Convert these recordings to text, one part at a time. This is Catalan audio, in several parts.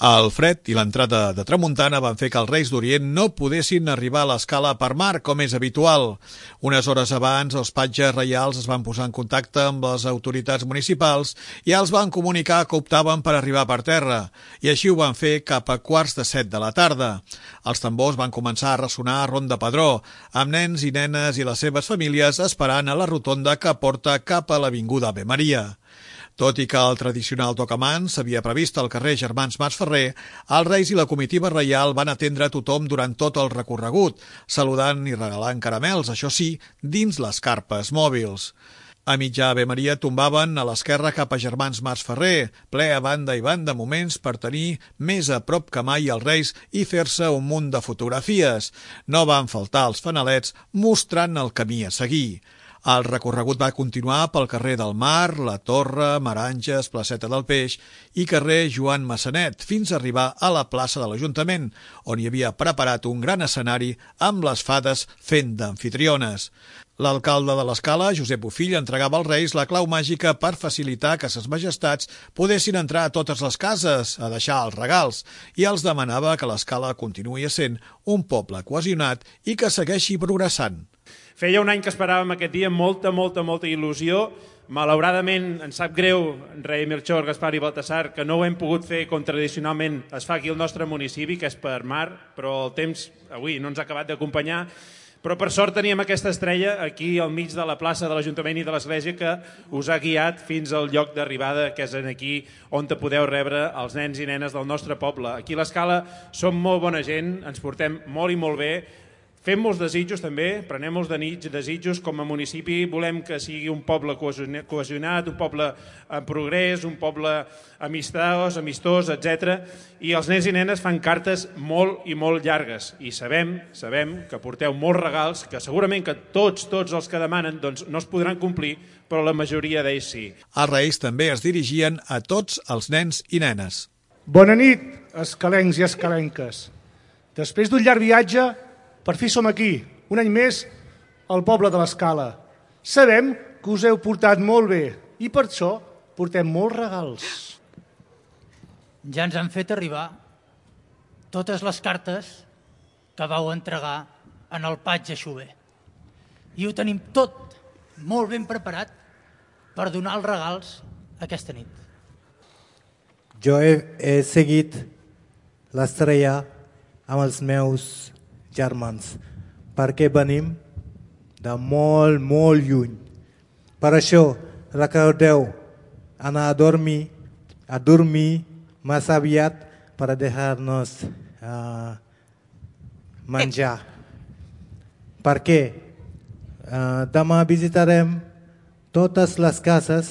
El fred i l'entrada de tramuntana van fer que els Reis d'Orient no poguessin arribar a l'escala per mar, com és habitual. Unes hores abans, els patges reials es van posar en contacte amb les autoritats municipals i els van comunicar que optaven per arribar per terra, i així ho van fer cap a 6:45 de la tarda. Els tambors van començar a ressonar a Ronda Pedró, amb nens i nenes i les seves famílies esperant a la rotonda que porta cap a l'Avinguda Ave Maria. Tot i que el tradicional tocamans s'havia previst al carrer Germans Masferrer, els Reis i la comitiva reial van atendre a tothom durant tot el recorregut, saludant i regalant caramels, això sí, dins les carpes mòbils. A mitjà Ave Maria tombaven a l'esquerra cap a Germans Masferrer, ple a banda i banda moments per tenir més a prop que mai els Reis i fer-se un munt de fotografies. No van faltar els fanalets mostrant el camí a seguir. El recorregut va continuar pel carrer del Mar, la Torre, Maranges, Placeta del Peix i carrer Joan Massanet, fins a arribar a la plaça de l'Ajuntament, on hi havia preparat un gran escenari amb les fades fent d'amfitriones. L'alcalde de l'Escala, Josep Bofill, entregava als Reis la clau màgica per facilitar que ses majestats poguessin entrar a totes les cases a deixar els regals i els demanava que l'Escala continuï sent un poble cohesionat i que segueixi progressant. Feia un any que esperàvem aquest dia amb molta il·lusió. Malauradament ens sap greu, rei Melchor, Gaspar i Baltasar, que no ho hem pogut fer com tradicionalment es fa aquí al nostre municipi, que és per mar, però el temps avui no ens ha acabat d'acompanyar. Però per sort teníem aquesta estrella aquí al mig de la plaça de l'Ajuntament i de l'Església que us ha guiat fins al lloc d'arribada, que és aquí on te podeu rebre els nens i nenes del nostre poble. Aquí a l'Escala som molt bona gent, ens portem molt i molt bé. Fem molts desitjos també, prenem molts desitjos com a municipi, volem que sigui un poble cohesionat, un poble en progrés, un poble amistós, etc. I els nens i nenes fan cartes molt i molt llargues i sabem que porteu molts regals, que segurament que tots els que demanen doncs, no es podran complir, però la majoria d'ells sí. Els Reis també es dirigien a tots els nens i nenes. Bona nit, escalencs i escalenques. Després d'un llarg viatge, per fi som aquí, un any més, al poble de l'Escala. Sabem que us heu portat molt bé i per això portem molts regals. Ja ens han fet arribar totes les cartes que vau entregar en el patge Xuber. I ho tenim tot molt ben preparat per donar els regals aquesta nit. Jo he seguit l'estrella amb els meus germans, perquè venim de molt lluny. Per això, recordeu anar a dormir massa aviat per deixar-nos menjar. Perquè demà visitarem totes les cases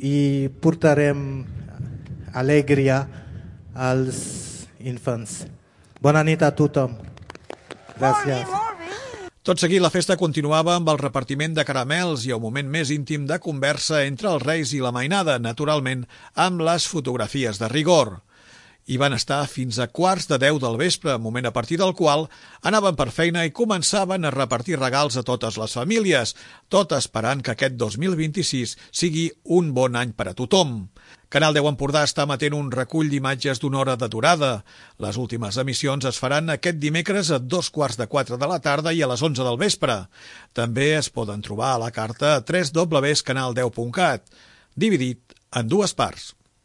i portarem alegria als infants. Bona nit a tothom. Gràcies. Tot seguit, la festa continuava amb el repartiment de caramels i el moment més íntim de conversa entre els Reis i la mainada, naturalment, amb les fotografies de rigor. Hi van estar fins a 9:45 del vespre, moment a partir del qual anaven per feina i començaven a repartir regals a totes les famílies, tot esperant que aquest 2026 sigui un bon any per a tothom. Canal 10 Empordà està emetent un recull d'imatges d'una hora de durada. Les últimes emissions es faran aquest dimecres a 3:45 de la tarda i a les 11 del vespre. També es poden trobar a la carta a www.canal10.cat, dividit en dues parts.